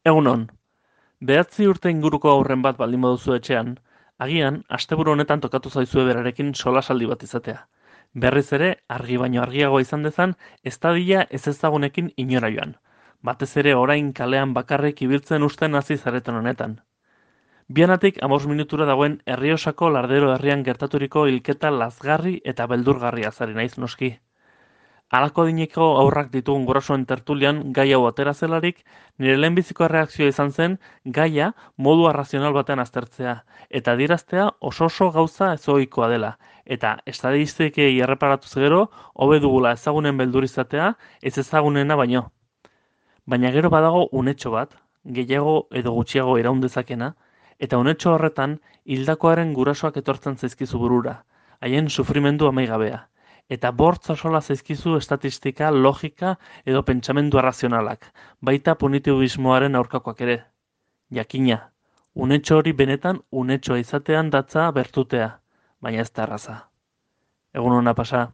Egunon, 9 urte inguruko haurren bat baldin baduzu etxean, agian asteburu honetan tokatu zaizue berarekin solasaldi bat izatea. Berriz ere, argi baino argiagoa izan dezan, ez dadila ezezagunekin inora joan. Batez ere orain kalean bakarrik ibiltzen usten hasi zareten honetan. Bianatik 5 minutura dagoen Errioxako Lardero herrian gertaturiko hilketa lazgarri eta beldurgarria zari naiz noski. Halako adineko haurrak ditugun gurasoen tertulian gai hau atera zelarik, nire lehenbiziko erreakzioa izan zen gaia modu arrazional batean aztertzea, eta adieraztea oso gauza ezohikoa dela, eta estadistikei erreparatuz gero, hobe dugula ezagunen beldur izatea, ez ezagunena baino. Baina gero badago unetxo bat, gehiago edo gutxiago iraun dezakena, eta unetxo horretan hildakoaren gurasoak etortzen zaizkizu burura, haien sufrimendu amaigabea. Eta bortz osola zaizkizu estatistika, logika edo pentsamendu arrazionalak, baita punitibismoaren aurkakoak ere. Jakina, unetxo hori benetan unetxoa izatean datza bertutea, baina ez da erraza. Egun hona pasa.